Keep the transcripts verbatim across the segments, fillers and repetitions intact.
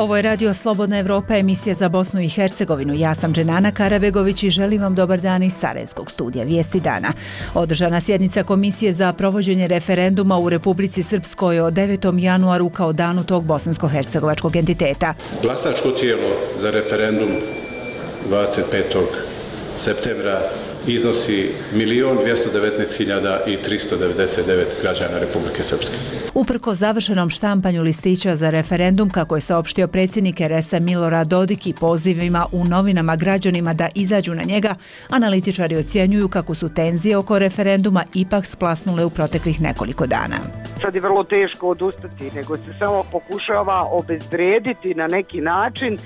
Ovo je Radio Slobodna Evropa, emisija za Bosnu i Hercegovinu. Ja sam Dženana Karabegović i želim vam dobar dan iz Sarajevskog studija Vijesti dana. Održana sjednica Komisije za provođenje referenduma u Republici Srpskoj o devetom januaru kao danu tog bosansko-hercegovačkog entiteta. Glasačko tijelo za referendum dvadeset petog septembra iznosi milion dvjesto devetnaest hiljada tristo devedeset devet građana Republike Srpske. Uprko završenom štampanju listića za referendum, kako je saopštio predsjednik er es a Milorad Dodik i pozivima u novinama građanima da izađu na njega, analitičari ocjenjuju kako su tenzije oko referenduma ipak splasnule u proteklih nekoliko dana. Sad je vrlo teško odustati, nego se samo pokušava obezvrediti na neki način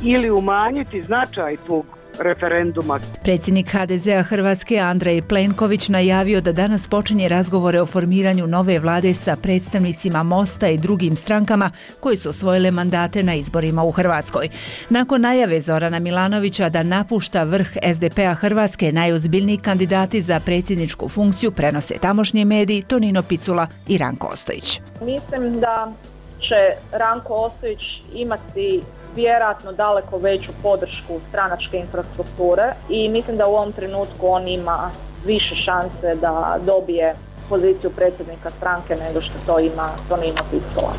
ili umanjiti značaj tog referenduma. Predsjednik ha de zea Hrvatske Andrej Plenković najavio da danas počinje razgovore o formiranju nove vlade sa predstavnicima Mosta i drugim strankama koji su osvojile mandate na izborima u Hrvatskoj. Nakon najave Zorana Milanovića da napušta vrh es de pe a Hrvatske, najozbiljniji kandidati za predsjedničku funkciju prenose tamošnji mediji Tonino Picula i Ranko Ostojić. Mislim da će Ranko Ostojić imati vjerojatno daleko veću podršku stranačke infrastrukture i mislim da u ovom trenutku on ima više šanse da dobije poziciju predsjednika stranke nego što to ima Tonino Picula.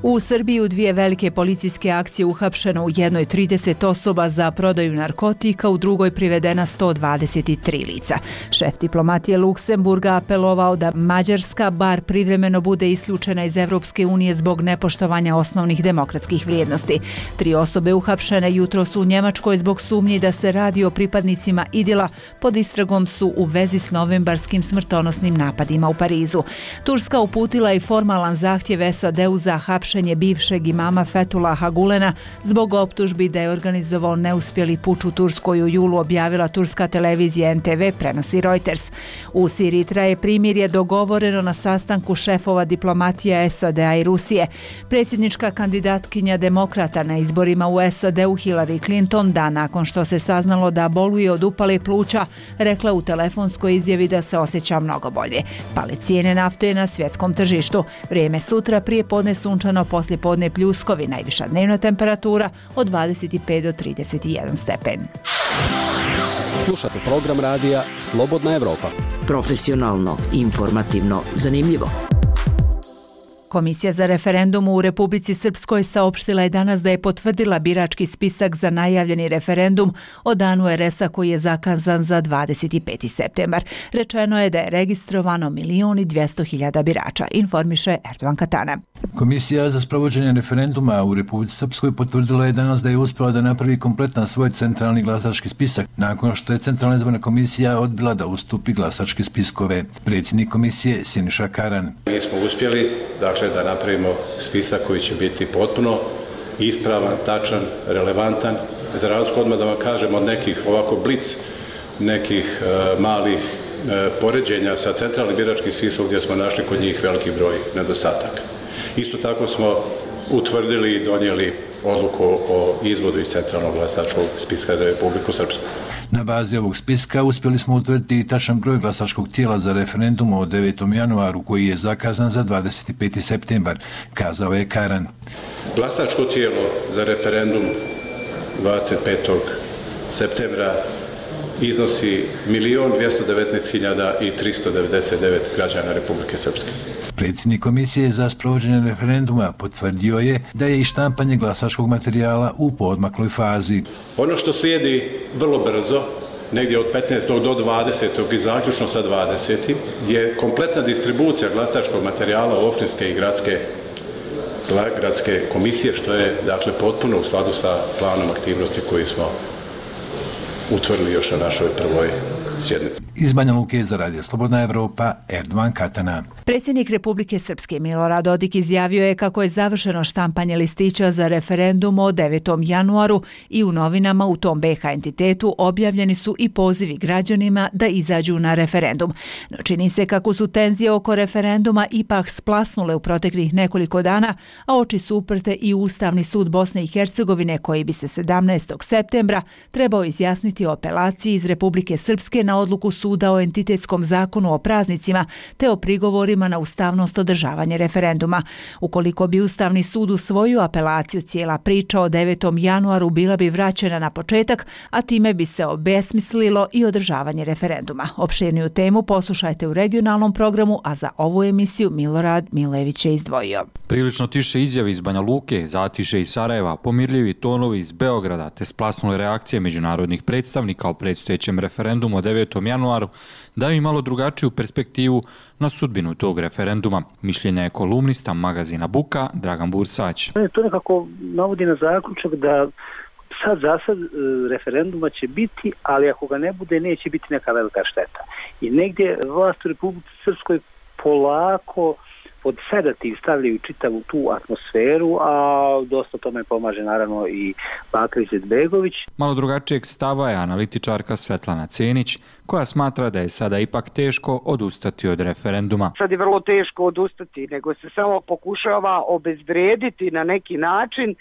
U Srbiji u dvije velike policijske akcije uhapšeno u jednoj trideset osoba za prodaju narkotika, u drugoj privedena sto dvadeset tri lica. Šef diplomatije Luksemburga apelovao da Mađarska bar privremeno bude isključena iz Evropske unije zbog nepoštovanja osnovnih demokratskih vrijednosti. Tri osobe uhapšene jutros u Njemačkoj zbog sumnji da se radi o pripadnicima Idila, pod istragom su u vezi s novembarskim smrtonosnim napadima u Parizu. Turska uputila i formalan zahtjev es a de u za hapšenje bivšeg imama Fethullaha Gulena zbog optužbi da je organizovao neuspjeli puč u Turskoj u julu, objavila turska televizija en te ve, prenosi Reuters. U Siriji traje primirje dogovoreno na sastanku šefova diplomatija es a de a i Rusije. Predsjednička kandidatkinja demokrata na izborima u es a de u Hillary Clinton, dan nakon što se saznalo da boluje od upale pluća, rekla u telefonskoj izjavi da se osjeća mnogo bolje. Pale cijene nafte na svjetskom tržištu. Vrijeme sutra, prije podne sunčano, poslije podne pljuskovi, najviša dnevna temperatura od dvadeset pet do trideset jedan stepen. Slušate program radija Slobodna Evropa. Profesionalno, informativno, zanimljivo. Komisija za referendum u Republici Srpskoj saopštila je danas da je potvrdila birački spisak za najavljeni referendum o danu er es a koji je zakazan za dvadeset peti septembar. Rečeno je da je registrovano milion dvjesto hiljada birača, informiše Erdogan Katana. Komisija za sprovođenje referenduma u Republici Srpskoj potvrdila je danas da je uspjela da napravi kompletan svoj centralni glasački spisak, nakon što je Centralna izborna komisija odbila da ustupi glasačke spiskove. Predsjednik komisije Siniša Karan. Mi smo uspjeli, dakle, da napravimo spisak koji će biti potpuno ispravan, tačan, relevantan, za razliku odmah da vam kažem od nekih ovako blic, nekih uh, malih uh, poređenja sa centralnim biračkim spiskom gdje smo našli kod njih veliki broj nedostataka. Isto tako smo utvrdili i donijeli odluku o izvodu iz centralnog glasačkog spiska za Republiku Srpsku. Na bazi ovog spiska uspjeli smo utvrditi i tačan broj glasačkog tijela za referendum o devetom januaru koji je zakazan za dvadeset peti septembar, kazao je Karan. Glasačko tijelo za referendum dvadeset petog septembra iznosi milion dvjesto devetnaest hiljada tristo devedeset devet građana Republike Srpske. Predsjednik Komisije za sprovođenje referenduma potvrdio je da je i štampanje glasačkog materijala u poodmakloj fazi. Ono što slijedi vrlo brzo, negdje od petnaestog do dvadesetog i zaključno sa dvadesetim je kompletna distribucija glasačkog materijala u općinske i gradske gradske komisije, što je dakle potpuno u skladu sa planom aktivnosti koji smo utvrdili još na našoj prvoj sjednici. Iz Banja Luke za Radio Slobodna Evropa, Erdogan Katana. Predsjednik Republike Srpske Milorad Dodik izjavio je kako je završeno štampanje listića za referendum o devetom januaru i u novinama u tom be ha entitetu objavljeni su i pozivi građanima da izađu na referendum. No čini se kako su tenzije oko referenduma ipak splasnule u proteklih nekoliko dana, a oči su uprte i Ustavni sud Bosne i Hercegovine koji bi se sedamnaestog septembra trebao izjasniti o apelaciji iz Republike Srpske na odluku suda suda o entitetskom zakonu o praznicima te o prigovorima na ustavnost održavanja referenduma. Ukoliko bi Ustavni sud usvojio apelaciju, cijela priča o devetom januaru bila bi vraćena na početak, a time bi se obesmislilo i održavanje referenduma. Opširniju temu poslušajte u regionalnom programu, a za ovu emisiju Milorad Milević je izdvojio. Prilično tiše izjave iz Banja Luke, zatiše iz Sarajeva, pomirljivi tonovi iz Beograda te splasnule reakcije međunarodnih predstavnika o predstojećem referendumu o devetom januaru daju i malo drugačiju perspektivu na sudbinu tog referenduma. Mišljenja je kolumnista magazina Buka Dragan Bursać. To nekako navodi na zaključak da sad za sad referenduma će biti, ali ako ga ne bude, neće biti neka velika šteta. I negdje vlast u Republici Srpskoj polako pod sedativ stavljaju čitavu tu atmosferu, a dosta tome pomaže naravno i Bakir Izetbegović. Malo drugačijeg stava je analitičarka Svetlana Cenić, koja smatra da je sada ipak teško odustati od referenduma. Sad je vrlo teško odustati, nego se samo pokušava obezvrediti na neki način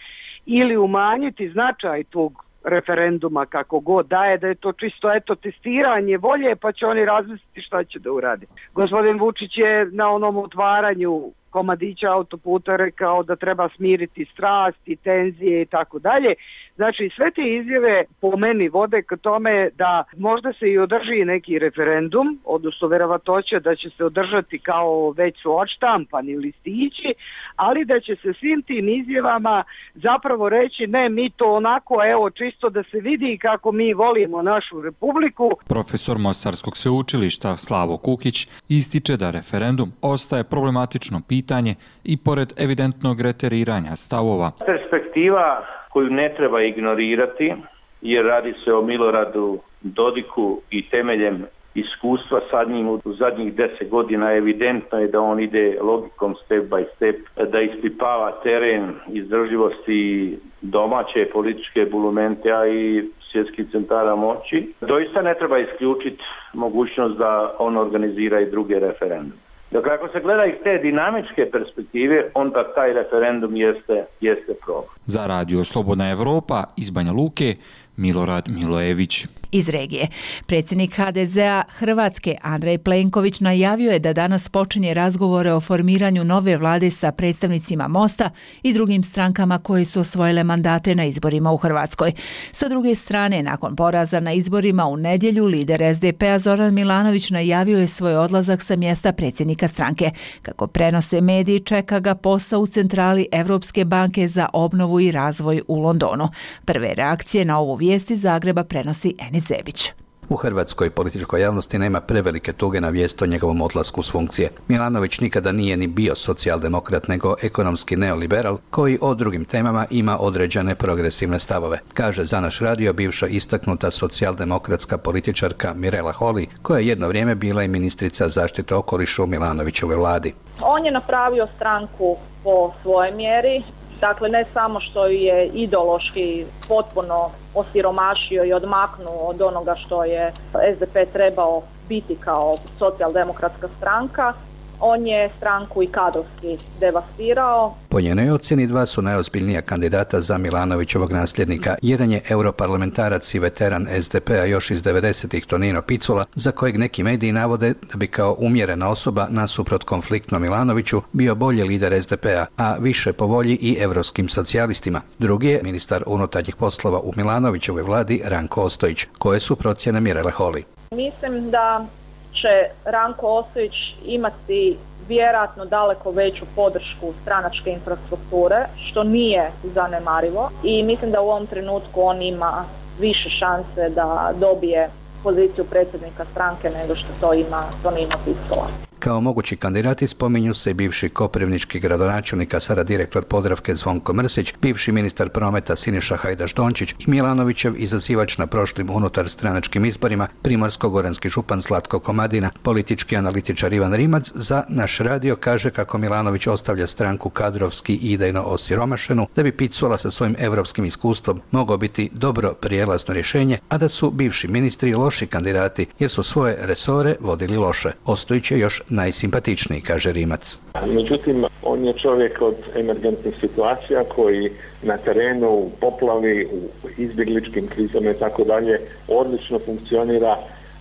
ili umanjiti značaj tog referenduma kako god daje, da je to čisto eto testiranje volje, pa će oni razmisliti šta će da uradi. Gospodin Vučić je na onom otvaranju komadića autoputa rekao da treba smiriti strasti, tenzije i tako dalje. Znači sve te izjave po meni vode k tome da možda se i održi neki referendum, odnosno verovatnoća da će se održati kao već su odštampani listići, ali da će se svim tim izjavama zapravo reći ne, mi to onako, evo, čisto da se vidi kako mi volimo našu republiku. Profesor Mostarskog sveučilišta Slavo Kukić ističe da referendum ostaje problematično pitanje i pored evidentnog reteriranja stavova. Perspektiva koju ne treba ignorirati, jer radi se o Miloradu Dodiku i temeljem iskustva sa njim u zadnjih deset godina evidentno je da on ide logikom step by step, da ispipava teren izdržljivosti domaće političke bulumente, a i svjetskih centara moći. Doista ne treba isključiti mogućnost da on organizira i druge referendume. Dakle, ako se gleda iz te dinamičke perspektive, onda taj referendum jeste, jeste problem. Za radio Slobodna Evropa iz Banja Luke, Milorad Milojević. Iz regije. Predsjednik ha de zea Hrvatske Andrej Plenković najavio je da danas počinje razgovore o formiranju nove vlade sa predstavnicima Mosta i drugim strankama koje su osvojile mandate na izborima u Hrvatskoj. Sa druge strane, nakon poraza na izborima u nedjelju, lider es de pe a Zoran Milanović najavio je svoj odlazak sa mjesta predsjednika stranke. Kako prenose mediji, čeka ga posao u centrali Evropske banke za obnovu i razvoj u Londonu. Prve reakcije na ovu vijest iz Zagreba prenosi Enis Zebić. U hrvatskoj političkoj javnosti nema prevelike tuge na vijest o njegovom odlasku s funkcije. Milanović nikada nije ni bio socijaldemokrat, nego ekonomski neoliberal koji o drugim temama ima određene progresivne stavove, kaže za naš radio bivša istaknuta socijaldemokratska političarka Mirela Holy, koja je jedno vrijeme bila i ministrica zaštite okoliša u Milanovićevoj vladi. On je napravio stranku po svojoj mjeri. Dakle, ne samo što je ideološki potpuno osiromašio i odmaknuo od onoga što je es de pe trebao biti kao socijaldemokratska stranka, on je stranku i kadrovski devastirao. Po njenoj ocjeni dva su najozbiljnija kandidata za Milanovićevog nasljednika. Jedan je europarlamentarac i veteran es de pe a još iz devedesetih Tonino Picula, za kojeg neki mediji navode da bi kao umjerena osoba nasuprot konfliktnom Milanoviću bio bolji lider es de pe a, a više po volji i evropskim socijalistima. Drugi je ministar unutarnjih poslova u Milanovićevoj vladi Ranko Ostojić, koje su procjene Mirele Holy. Mislim da će Ranko Ostojić imati vjerojatno daleko veću podršku stranačke infrastrukture, što nije zanemarivo, i mislim da u ovom trenutku on ima više šanse da dobije poziciju predsjednika stranke nego što to ima Tonino Picula. Kao mogući kandidati spominju se bivši koprivnički gradonačelnik, a sada direktor Podravke Zvonko Mrsić, bivši ministar prometa Siniša Hajdaš Dončić i Milanovićev izazivač na prošlim unutar stranačkim izborima, primorsko-goranski župan Zlatko Komadina. Politički analitičar Ivan Rimac za naš radio kaže kako Milanović ostavlja stranku kadrovski i idejno osiromašenu, da bi Picula sa svojim evropskim iskustvom mogao biti dobro prijelazno rješenje, a da su bivši ministri loši kandidati jer su svoje resore vodili loše. Ostojić je još najsimpatičniji, kaže Rimac. Međutim, on je čovjek od emergentnih situacija koji na terenu, u poplavi, u izbjegličkim krizama i tako dalje odlično funkcionira,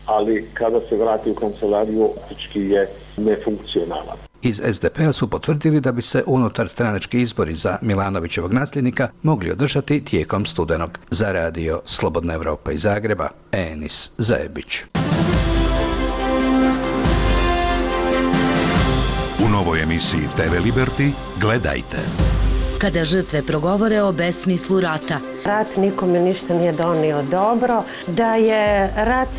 ali kada se vrati u kancelariju, praktički je nefunkcionalan. Iz es de pe a su potvrdili da bi se unutar stranački izbori za Milanovićevog nasljednika mogli održati tijekom studenog. Za radio Slobodna Evropa iz Zagreba, Enis Zajebić. U novoj emisiji te ve Liberty gledajte. Kada žrtve progovore o besmislu rata. Rat nikome ništa nije donio dobro, da je rat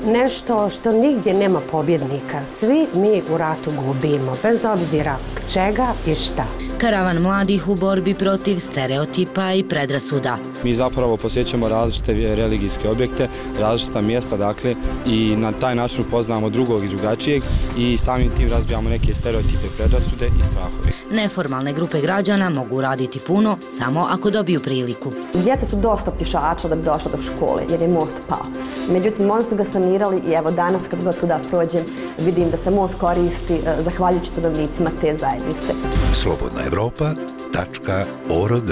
nešto što nigdje nema pobjednika. Svi mi u ratu gubimo, bez obzira čega i šta. Karavan mladih u borbi protiv stereotipa i predrasuda. Mi zapravo posjećamo različite religijske objekte, različita mjesta, dakle, i na taj način upoznamo drugog i drugačijeg i samim tim razbijamo neke stereotipe, predrasude i strahove. Neformalne grupe građana mogu raditi puno samo ako dobiju priliku. Djeca su dosta pješača da bi došla do škole jer je most pao. Međutim, možda su ga sanirali i evo danas kad god tuda prođem vidim da se most koristi zahvaljujući stanovnicima te zajednice. slobodna evropa tačka org.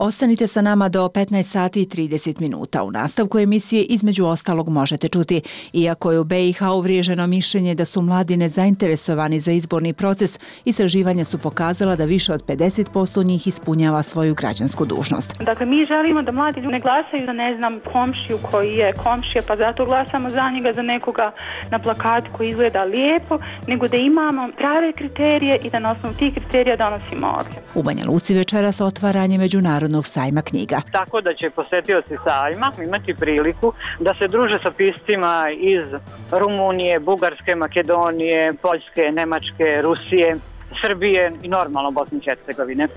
Ostanite sa nama do petnaest sati i trideset minuta. U nastavku emisije između ostalog možete čuti. Iako je u be i ha uvriježeno mišljenje da su mladi nezainteresovani za izborni proces, istraživanja su pokazala da više od pedeset posto njih ispunjava svoju građansku dužnost. Dakle, mi želimo da mladi ljudi ne glasaju za, ne znam, komšiju koji je komšija, pa zato glasamo za njega, za nekoga na plakatu koji izgleda lijepo, nego da imamo prave kriterije i da na osnovu tih kriterija donosimo odluke. U Banja Luci večeras otvaranje međunarodnog sajma knjiga. Tako da će posjetioci sajma imati priliku da se druže sa piscima iz Rumunije, Bugarske, Makedonije, Poljske, Nemačke, Rusije, Srbije i normalno Bosne i Hercegovine.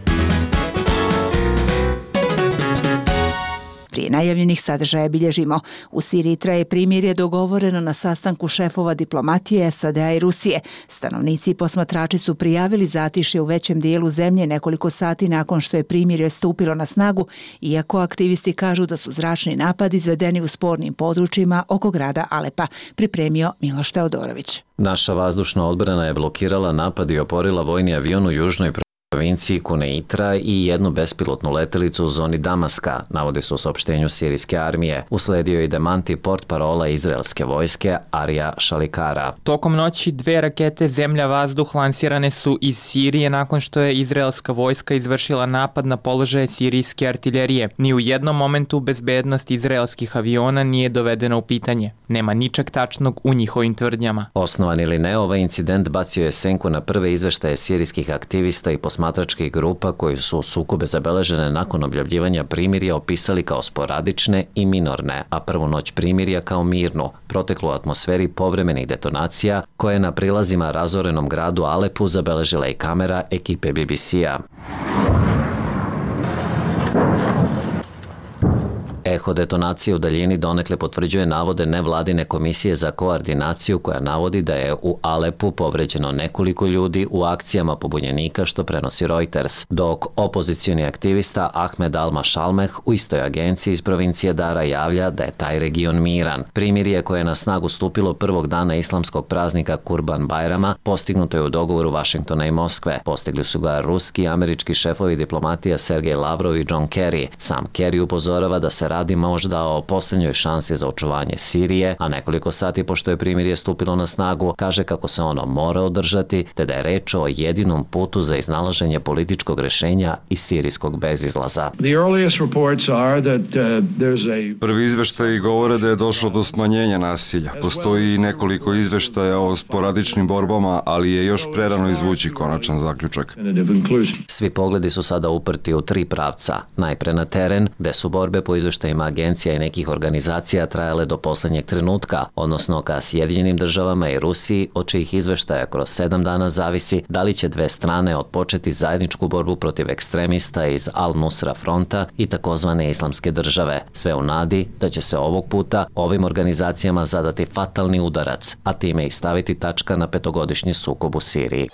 Prije najavljenih sadržaja bilježimo. U Siriji traje primirje dogovoreno na sastanku šefova diplomatije es a de a i Rusije. Stanovnici i posmatrači su prijavili zatišje u većem dijelu zemlje nekoliko sati nakon što je primirje stupilo na snagu, iako aktivisti kažu da su zračni napadi izvedeni u spornim područjima oko grada Alepa, pripremio Miloš Teodorović. Naša vazdušna odbrana je blokirala napad i oporila vojni avion u južnoj provinciji Kuneitra i jednu bespilotnu letelicu u zoni Damaska, navodi se u saopštenju sirijske armije. Usledio je i demanti portparola izraelske vojske Arija Šalikara. Tokom noći dve rakete zemlja-vazduh lansirane su iz Sirije nakon što je izraelska vojska izvršila napad na položaje sirijske artiljerije. Ni u jednom momentu bezbednost izraelskih aviona nije dovedena u pitanje. Nema ničeg tačnog u njihovim tvrdnjama. Osnovan ili ne, ovaj incident bacio je senku na prve izveštaje sirijskih aktivista i posmatračkih grupa koji su sukobe zabeležene nakon objavljivanja primirja opisali kao sporadične i minorne, a prvu noć primirja kao mirnu, proteklu u atmosferi povremenih detonacija koje je na prilazima razorenom gradu Alepu zabeležila i kamera ekipe be be ce-a. Eho detonacije u daljini donekle potvrđuje navode nevladine komisije za koordinaciju koja navodi da je u Alepu povređeno nekoliko ljudi u akcijama pobunjenika što prenosi Reuters, dok opozicioni aktivista Ahmed Al-Mashalmeh u istoj agenciji iz provincije Dara javlja da je taj region miran. Primirje koje je na snagu stupilo prvog dana islamskog praznika Kurban Bajrama postignuto je u dogovoru Vašingtona i Moskve. Postigli su ga ruski i američki šefovi diplomatija Sergej Lavrov i John Kerry. Sam Kerry upozorava da se radi možda o posljednjoj šansi za očuvanje Sirije, a nekoliko sati pošto je primirje stupilo na snagu, kaže kako se ono mora održati, te da je reč o jedinom putu za iznalaženje političkog rješenja i sirijskog bezizlaza. Prvi izveštaji govore da je došlo do smanjenja nasilja. Postoji i nekoliko izveštaja o sporadičnim borbama, ali je još prerano izvući konačan zaključak. Svi pogledi su sada uprti u tri pravca. Najpre na teren, gde su borbe po izveštajima agencija i nekih organizacija trajale do posljednjeg trenutka, odnosno ka Sjedinjenim državama i Rusiji, od čijih izveštaja kroz sedam dana zavisi da li će dve strane otpočeti zajedničku borbu protiv ekstremista iz Al-Nusra fronta i takozvane islamske države. Sve u nadi da će se ovog puta ovim organizacijama zadati fatalni udarac, a time i staviti tačka na petogodišnji sukob u Siriji.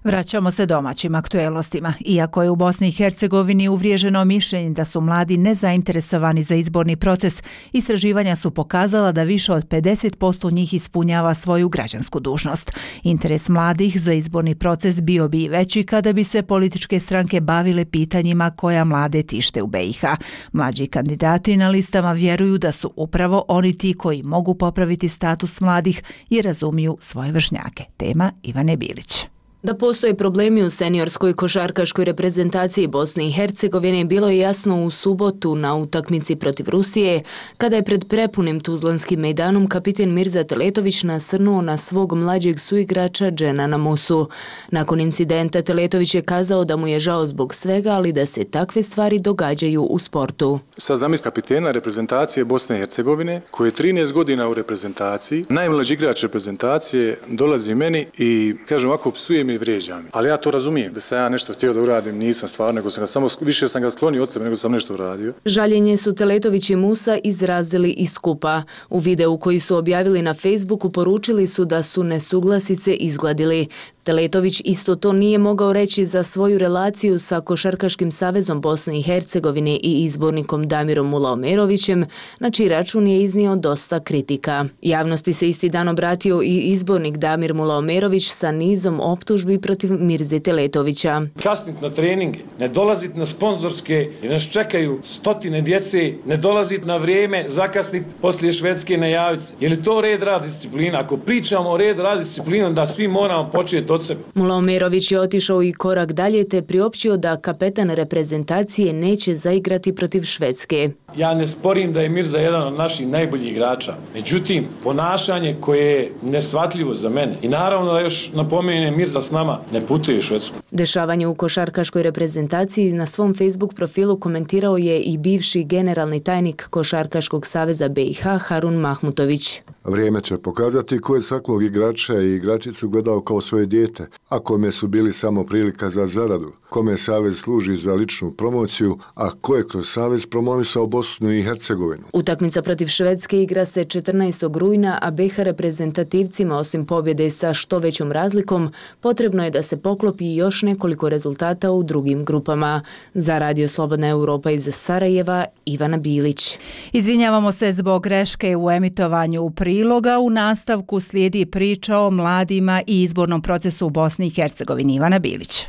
Vraćamo se domaćim aktuelnostima. Iako je u Bosni i Hercegovini uvriježeno mišljenje da su mladi nezainteresovani za izborni proces, istraživanja su pokazala da više od pedeset posto njih ispunjava svoju građansku dužnost. Interes mladih za izborni proces bio bi i veći kada bi se političke stranke bavile pitanjima koja mlade tište u B i H. Mlađi kandidati na listama vjeruju da su upravo oni ti koji mogu popraviti status mladih i razumiju svoje vršnjake. Tema Ivane Bilić. Da postoje problemi u seniorskoj košarkaškoj reprezentaciji Bosne i Hercegovine bilo je jasno u subotu na utakmici protiv Rusije, kada je pred prepunim tuzlanskim mejdanom kapiten Mirza Teletović nasrnuo na svog mlađeg suigrača Dženana Musu. Nakon incidenta Teletović je kazao da mu je žao zbog svega, ali da se takve stvari događaju u sportu. Sad zamisli kapitena reprezentacije Bosne i Hercegovine, koji je trinaest godina u reprezentaciji, najmlađi igrač reprezentacije dolazi meni i kaže ovako, psuje mi i vrijeđa mi. Ali ja to razumijem, da sam ja nešto htio da uradim, nisam stvarno, nego sam ga samo, više sam ga sklonio od sebe nego sam nešto uradio. Žaljenje su Teletović i Musa izrazili iz skupa. U videu koji su objavili na Facebooku poručili su da su nesuglasice izgladili. Teletović isto to nije mogao reći za svoju relaciju sa Košarkaškim savezom Bosne i Hercegovine i izbornikom Damirom Mulaomerovićem, na čiji račun je iznio dosta kritika. Javnosti se isti dan obratio i izbornik Damir Mulaomerović sa nizom optužbi protiv Mirze Teletovića. Kasnit na trening, ne dolazit na sponzorske, jer nas čekaju stotine djece, ne dolazit na vrijeme, zakasnit poslije Švedske na javice. Je li to red rad disciplina? Ako pričamo o red rad disciplina, da svi moramo početi od sebe. Mulaomerović je otišao i korak dalje te priopćio da kapetan reprezentacije neće zaigrati protiv Švedske. Ja ne sporim da je Mirza jedan od naših najboljih igrača. Međutim, ponašanje koje je neshvatljivo za mene. I naravno da još napomenem, Mirza s nama ne putuje u Švedsku. Dešavanje u košarkaškoj reprezentaciji na svom Facebook profilu komentirao je i bivši generalni tajnik Košarkaškog saveza B i H Harun Mahmutović. Vrijeme će pokazati ko je svakog igrača i igračicu gledao kao svoje dijete, a kome su bili samo prilika za zaradu, kome savez služi za ličnu promociju, a ko je kroz savez promovisao Bosnu i Hercegovinu. Utakmica protiv Švedske igra se četrnaestog rujna, a B i H reprezentativcima osim pobjede sa što većom razlikom, potrebno je da se poklopi još nekoliko rezultata u drugim grupama. Za Radio Slobodna Europa iz Sarajeva, Ivana Bilić. Izvinjavamo se zbog greške u emitovanju priloga. U nastavku slijedi priča o mladima i izbornom procesu u Bosni i Hercegovini. Ivana Bilić.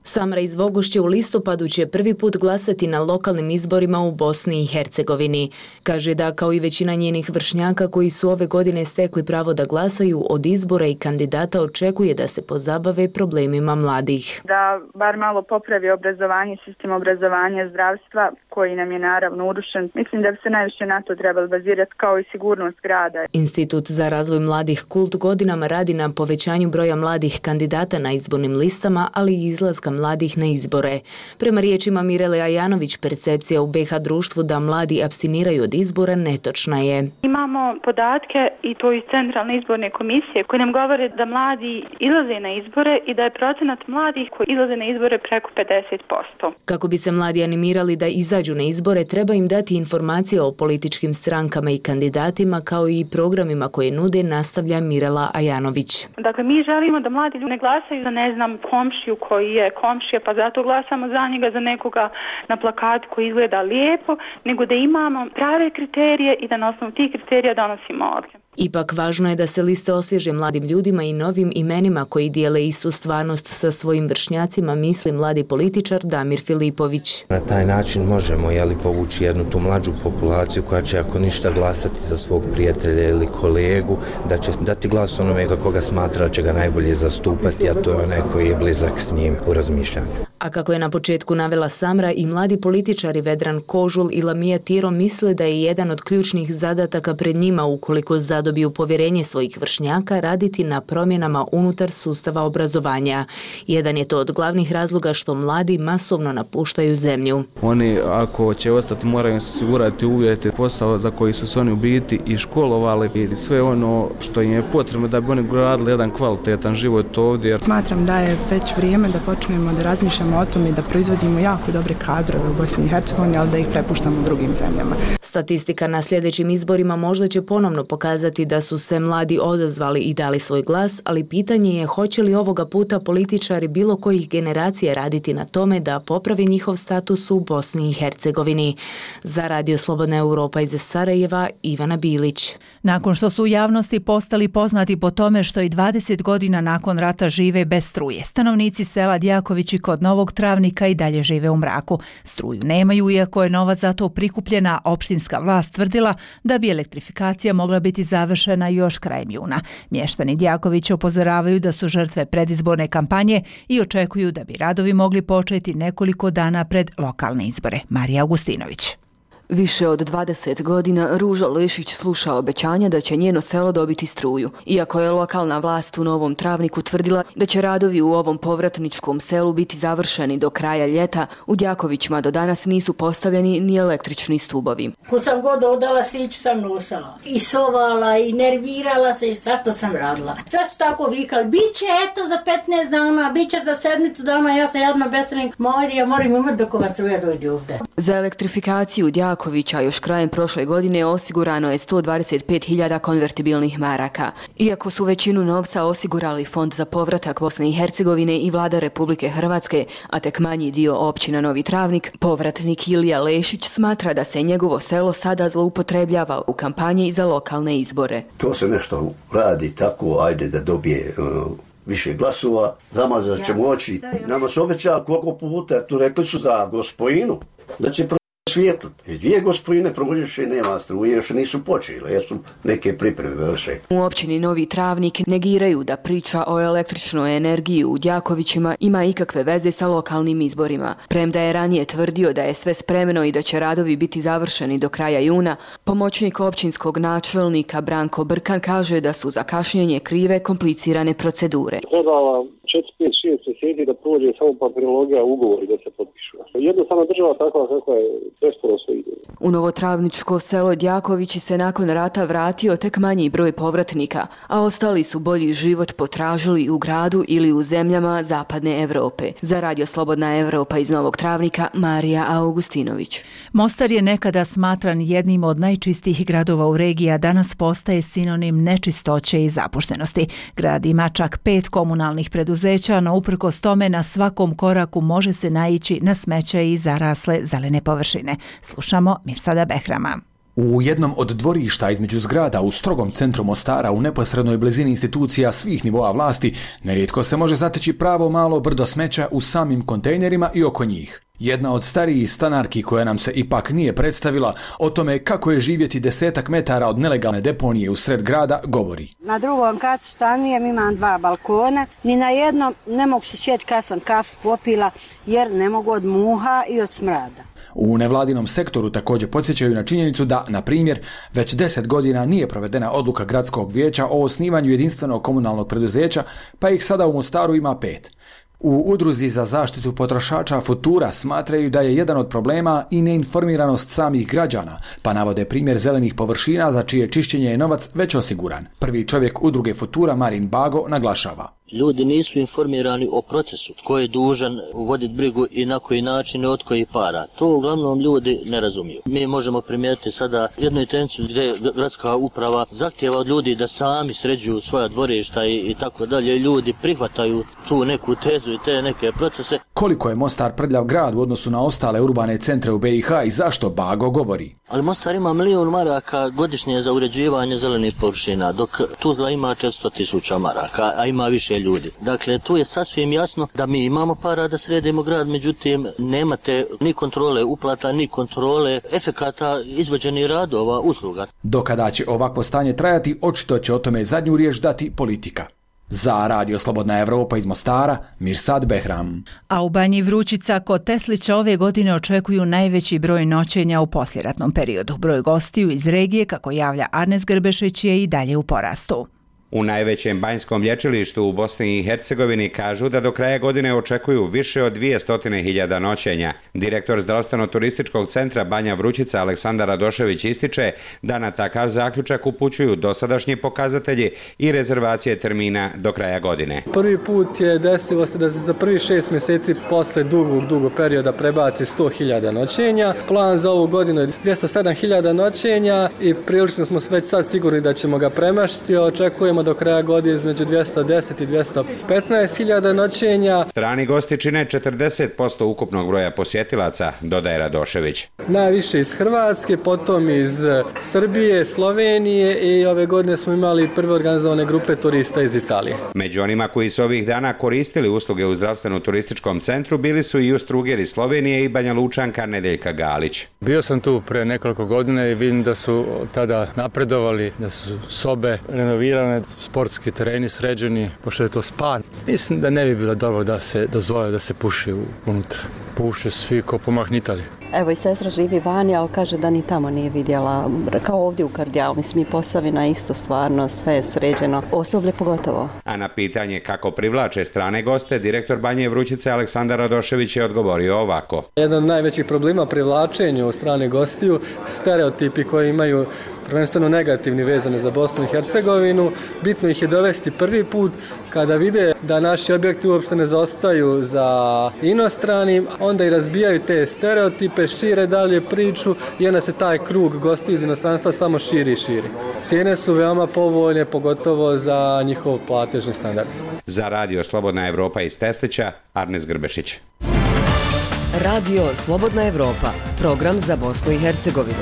Samra iz Vogošće u listopadu će prvi put glasati na lokalnim izborima u Bosni i Hercegovini. Kaže da kao i većina njenih vršnjaka koji su ove godine stekli pravo da glasaju, od izbora i kandidata očekuje da se pozabave problemima mladih. Da bar malo popravi obrazovanje, sistem obrazovanja, zdravstva koji nam je naravno urušen. Mislim da bi se najviše na to trebalo bazirati, kao i sigurnost grada. Institut za razvoj mladih Kult godinama radi na povećanju broja mladih kandidata na izbornim listama, ali i izlaska mladih na izbore. Prema riječima Mirele Ajanović, percepcija u B i H društvu da mladi apstiniraju od izbora netočna je. Imamo podatke i to iz Centralne izborne komisije koje nam govore da mladi izlaze na izbore i da je procenat mladih koji izlaze na izbore preko pedeset posto. Kako bi se mladi animirali da izađu na izbore, treba im dati informacije o političkim strankama i kandidatima kao i programima koje nude, nastavlja Mirela Ajanović. Dakle, mi želimo da mladi ljudi ne glasaju za, ne znam, komšiju koji je komšija, pa zato glasamo za njega, za nekoga na plakatu koji izgleda lijepo, nego da imamo prave kriterije i da na osnovu tih kriterija donosimo odluke. Ipak važno je da se liste osvježe mladim ljudima i novim imenima koji dijele istu stvarnost sa svojim vršnjacima, misli mladi političar Damir Filipović. Na taj način možemo jeli, povući jednu tu mlađu populaciju koja će ako ništa glasati za svog prijatelja ili kolegu, da će dati glas onome za koga smatra će ga najbolje zastupati, a to je onaj koji je blizak s njim u razmišljanju. A kako je na početku navela Samra, i mladi političari Vedran Kožul i Lamija Tiro misle da je jedan od ključnih zadataka pred njima, ukoliko zadobiju povjerenje svojih vršnjaka, raditi na promjenama unutar sustava obrazovanja. Jedan je to od glavnih razloga što mladi masovno napuštaju zemlju. Oni ako će ostati moraju osigurati uvjete, posao za koji su se oni u biti i školovali i sve ono što im je potrebno da bi oni gradili jedan kvalitetan život ovdje. Smatram da je već vrijeme da počnemo da razmišljamo razmišljamo o tome da proizvodimo jako dobre kadrove u Bosni i Hercegovini, ali da ih prepuštamo drugim zemljama. Statistika na sljedećim izborima možda će ponovno pokazati da su se mladi odazvali i dali svoj glas, ali pitanje je hoće li ovoga puta političari bilo kojih generacija raditi na tome da popravi njihov status u Bosni i Hercegovini. Za Radio Slobodna Europa iz Sarajeva, Ivana Bilić. Nakon što su u javnosti postali poznati po tome što i dvadeset godina nakon rata žive bez struje, stanovnici sela Djakovići kod Novog Travnika i dalje žive u mraku. Struju nemaju, iako je novac za to prikupljena, opštinska vlast tvrdila da bi elektrifikacija mogla biti završena još krajem juna. Mještani Djakovića upozoravaju da su žrtve predizborne kampanje i očekuju da bi radovi mogli početi nekoliko dana pred lokalne izbore. Marija Augustinović. Više od dvadeset godina Ruža Lešić sluša obećanja da će njeno selo dobiti struju. Iako je lokalna vlast u Novom Travniku tvrdila da će radovi u ovom povratničkom selu biti završeni do kraja ljeta, u Djakovićima do danas nisu postavljeni ni električni stubovi. Ko sam god odala, sviću sam nosala. I sovala, i nervirala se, i sve što sam radila. Sve su tako vikali, bit će eto za petnaest dana, bit će za sedmicu dana, ja sam jedna besrednik, mojde, ja moram imati dok ova struja dođe ovdje. Za elektrifikaciju Djakovića još krajem prošle godine osigurano je sto dvadeset pet hiljada konvertibilnih maraka. Iako su većinu novca osigurali Fond za povratak Bosne i Hercegovine i Vlada Republike Hrvatske, a tek manji dio općina Novi Travnik, povratnik Ilija Lešić smatra da se njegovo selo sada zloupotrebljava u kampanji za lokalne izbore. To se nešto radi tako, ajde da dobije uh, više glasova, zamazat ćemo oči. Nama se obeća koliko puta, tu rekli su za Gospojinu, da će svijetlu. I dvije gospojine provodjuše nema struje, još nisu počele, jer su neke pripreme vrše. U općini Novi Travnik negiraju da priča o električnoj energiji u Djakovićima ima ikakve veze sa lokalnim izborima. Premda je ranije tvrdio da je sve spremno i da će radovi biti završeni do kraja juna, pomoćnik općinskog načelnika Branko Brkan kaže da su za kašnjenje krive komplicirane procedure. Trebala četiri, pet, šest mjeseci da prođe samo papirologija ugovori da se potpišu. Jednostavno država takva kakva je presporo sve ide. U Novotravničko selo Djakovići se nakon rata vratio tek manji broj povratnika, a ostali su bolji život potražili u gradu ili u zemljama zapadne Evrope. Za Radio Slobodna Evropa iz Novog Travnika, Marija Augustinović. Mostar je nekada smatran jednim od najčistijih gradova u regiji, a danas postaje sinonim nečistoće i zapuštenosti. Grad ima čak pet komunalnih preduzeća, no uprkos tome na svakom koraku može se naići na smeće i zarasle zelene površine. Slušamo Mirsada Behrama. U jednom od dvorišta između zgrada u strogom centru Mostara u neposrednoj blizini institucija svih nivoa vlasti nerijetko se može zateći pravo malo brdo smeća u samim kontejnerima i oko njih. Jedna od starijih stanarki koja nam se ipak nije predstavila o tome kako je živjeti desetak metara od nelegalne deponije u sred grada govori. Na drugom katu stanujem, imam dva balkona, ni na jednom ne mogu se sjeti kad sam kafu popila jer ne mogu od muha i od smrada. U nevladinom sektoru također podsjećaju na činjenicu da, na primjer, već deset godina nije provedena odluka gradskog vijeća o osnivanju jedinstvenog komunalnog preduzeća, pa ih sada u Mostaru ima pet. U Udruzi za zaštitu potrošača Futura smatraju da je jedan od problema i neinformiranost samih građana, pa navode primjer zelenih površina za čije čišćenje je novac već osiguran. Prvi čovjek Udruge Futura, Marin Bago, naglašava. Ljudi nisu informirani o procesu, tko je dužan voditi brigu i na koji način i od koji para. To uglavnom ljudi ne razumiju. Mi možemo primijetiti sada jednu intenciju gdje gradska uprava zahtjeva od ljudi da sami sređuju svoja dvorišta i, i tako dalje. Ljudi prihvataju tu neku tezu i te neke procese. Koliko je Mostar prljav grad u odnosu na ostale urbane centre u B i H i zašto Bago govori? Ali Mostar ima milijun maraka godišnje za uređivanje zelenih površina, dok Tuzla ima četiristo tisuća maraka, a ima više ljudi. Dakle, tu je sasvim jasno da mi imamo para da sredimo grad, međutim, nemate ni kontrole uplata, ni kontrole efekata izvođenih radova, usluga. Dokada će ovakvo stanje trajati, očito će o tome zadnju riječ dati politika. Za Radio Slobodna Evropa iz Mostara, Mirsad Behram. A u Banji Vrućica kod Teslića ove godine očekuju najveći broj noćenja u poslijeratnom periodu. Broj gostiju iz regije, kako javlja Arnes Grbešić, je i dalje u porastu. U najvećem banjskom lječilištu u Bosni i Hercegovini kažu da do kraja godine očekuju više od dvjesto hiljada noćenja. Direktor zdravstveno-turističkog centra Banja Vrućica Aleksandar Radošević ističe da na takav zaključak upućuju dosadašnji pokazatelji i rezervacije termina do kraja godine. Prvi put je desilo se da se za prvi šest mjeseci posle dugog, dugog perioda prebaci sto hiljada noćenja. Plan za ovu godinu je dvjesto sedam hiljada noćenja i prilično smo već sad sigurni da ćemo ga premašiti. Očekujemo do kraja godine između dvjesto deset i dvjesto petnaest hiljada noćenja. Strani gosti čine četrdeset posto ukupnog broja posjetilaca, dodaje Radošević. Najviše iz Hrvatske, potom iz Srbije, Slovenije i ove godine smo imali prve organizovane grupe turista iz Italije. Među onima koji su ovih dana koristili usluge u zdravstveno-turističkom centru bili su i Ustruger iz Slovenije i Banja Lučanka Nedeljka Galić. Bio sam tu pre nekoliko godina i vidim da su tada napredovali, da su sobe renovirane, sportski tereni sređeni, pošto je to spa. Mislim da ne bi bilo dobro da se dozvole da se puši unutra. Puše svi ko pomahnitali. Evo i sestra živi vani, ali kaže da ni tamo nije vidjela, kao ovdje u Kardijalu. Mislim i Posavina isto stvarno, sve je sređeno, osoblje pogotovo. A na pitanje kako privlače strane goste, direktor Banje Vrućice Aleksandar Radošević je odgovorio ovako. Jedan od najvećih problema privlačenju strane gostiju, stereotipi koji imaju prvenstveno negativni vezane za Bosnu i Hercegovinu. Bitno ih je dovesti prvi put kada vide da naši objekti uopšte ne zaostaju za inostranim, onda i razbijaju te stereotipe, šire dalje priču i onda se taj krug gostiju iz inostranstva samo širi i širi. Cijene su veoma povoljne, pogotovo za njihov platežni standard. Za Radio Slobodna Evropa iz Teslića, Arnes Grbešić. Radio Slobodna Evropa, program za Bosnu i Hercegovinu.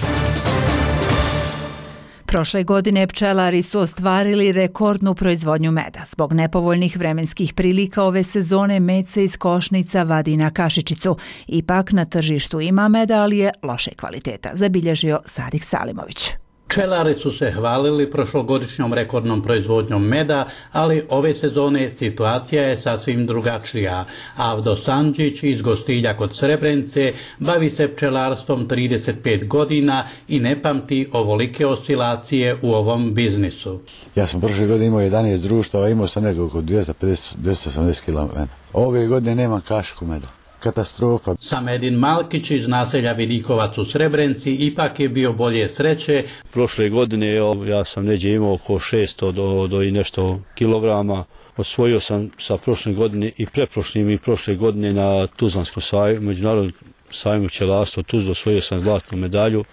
Prošle godine pčelari su ostvarili rekordnu proizvodnju meda. Zbog nepovoljnih vremenskih prilika ove sezone med se iz košnica vadi na kašičicu. Ipak na tržištu ima meda, ali je loše kvaliteta, zabilježio Sadik Salimović. Pčelari su se hvalili prošlogodišnjom rekordnom proizvodnjom meda, ali ove sezone situacija je sasvim drugačija. Avdo Sandžić iz Gostilja kod Srebrenice bavi se pčelarstvom trideset pet godina i ne pamti ovolike oscilacije u ovom biznisu. Ja sam prošle godine imao jedanaest društava, imao sam nekako oko dvjesto pedeset do dvjesto osamdeset kilograma meda. Ove godine nemam kašku meda. Katastrofa. Samedin Malkić iz naselja Vidikovac u Srebrenici ipak je bio bolje sreće. Prošle godine ja sam neđe imao oko šesto do, do i nešto kilograma. Osvojio sam sa prošle godine i preprošlim i prošle godine na Tuzlanskom sajmu, međunarodnom sajmu pčelarstva Tuzla, osvojio sam zlatnu medalju.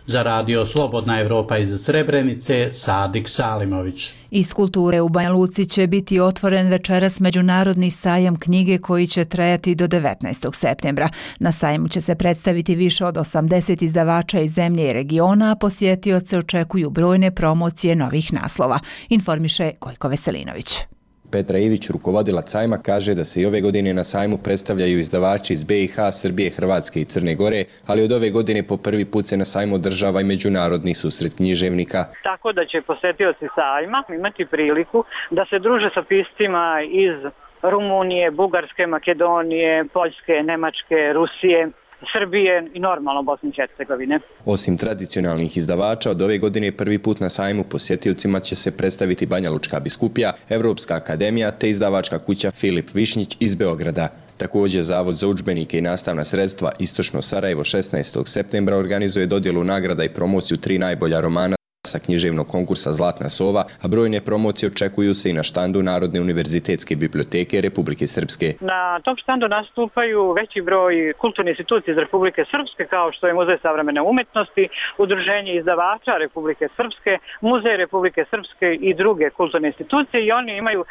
Za Radio Slobodna Evropa iz Srebrenice, Sadik Salimović. Iz kulture u Banja Luci će biti otvoren večeras međunarodni sajam knjige koji će trajati do devetnaestog septembra. Na sajmu će se predstaviti više od osamdeset izdavača iz zemlje i regiona, a posjetioce očekuju brojne promocije novih naslova, informiše Gojko Veselinović. Petra Ivić, rukovodilac sajma, kaže da se i ove godine na sajmu predstavljaju izdavači iz be i ha, Srbije, Hrvatske i Crne Gore, ali od ove godine po prvi put se na sajmu održava i međunarodni susret književnika. Tako da će posjetioci sajma imati priliku da se druže sa piscima iz Rumunije, Bugarske, Makedonije, Poljske, Nemačke, Rusije, Srbije i normalno Bosne i Hercegovine. Osim tradicionalnih izdavača, od ove godine prvi put na sajmu posjetiocima će se predstaviti Banja Lučka biskupija, Evropska akademija te izdavačka kuća Filip Višnjić iz Beograda. Također, Zavod za udžbenike i nastavna sredstva Istočno Sarajevo šesnaestog septembra organizuje dodjelu nagrada i promociju tri najbolja romana sa književnog konkursa Zlatna sova, a brojne promocije očekuju se i na štandu Narodne univerzitetske biblioteke Republike Srpske. Na tom štandu nastupaju veći broj kulturnih institucija iz Republike Srpske, kao što je Muzej savremene umetnosti, Udruženje izdavača Republike Srpske, Muzej Republike Srpske i druge kulturne institucije, i oni imaju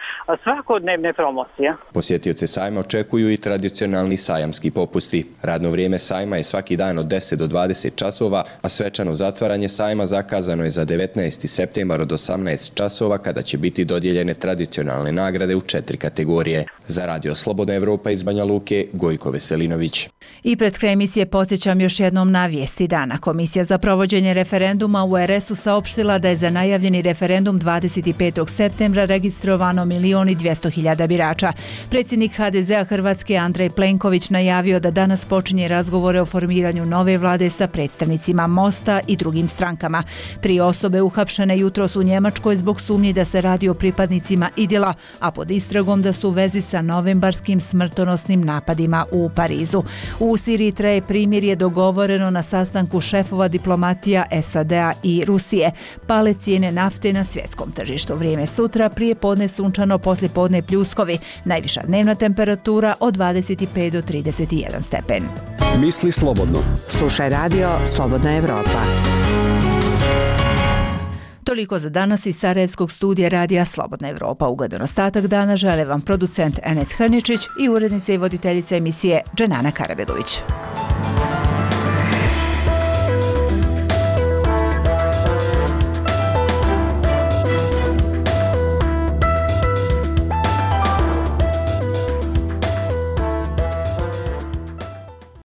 svakodnevne promocije. Posjetioce sajma očekuju i tradicionalni sajamski popusti. Radno vrijeme sajma je svaki dan od deset do dvadeset časova, a svečano zatvaranje sajma zakazano je za devetnaesti septembar od osamnaest časova, kada će biti dodijeljene tradicionalne nagrade u četiri kategorije. Za Radio Slobodna Evropa iz Banja Luke, Gojko Veselinović. I pred kraj emisije podsjećam još jednom na vijesti dana. Komisija za provođenje referenduma u er es u saopštila da je za najavljeni referendum dvadeset petog septembra registrovano milion i dvjesto hiljada birača. Predsjednik ha de zea Hrvatske Andrej Plenković najavio da danas počinje razgovore o formiranju nove vlade sa predstavnicima Mosta i drugim strankama. Tri osobe osobe uhapšene jutros u Njemačkoj zbog sumnji da se radi o pripadnicima Idila, a pod istragom da su u vezi sa novembarskim smrtonosnim napadima u Parizu. U Siriji traje primirje dogovoreno na sastanku šefova diplomatija S A D-a i Rusije. Pale cijene nafte na svjetskom tržištu. Vrijeme sutra, prije podne sunčano, poslije podne pljuskovi. Najviša dnevna temperatura od dvadeset pet do trideset jedan stepen. Misli slobodno. Slušaj radio Slobodna Evropa. Toliko za danas iz Sarajevskog studija radija Slobodna Evropa. Ugodan ostatak dana žele vam producent Enes Hrničić i urednica i voditeljica emisije Dženana Karabegović.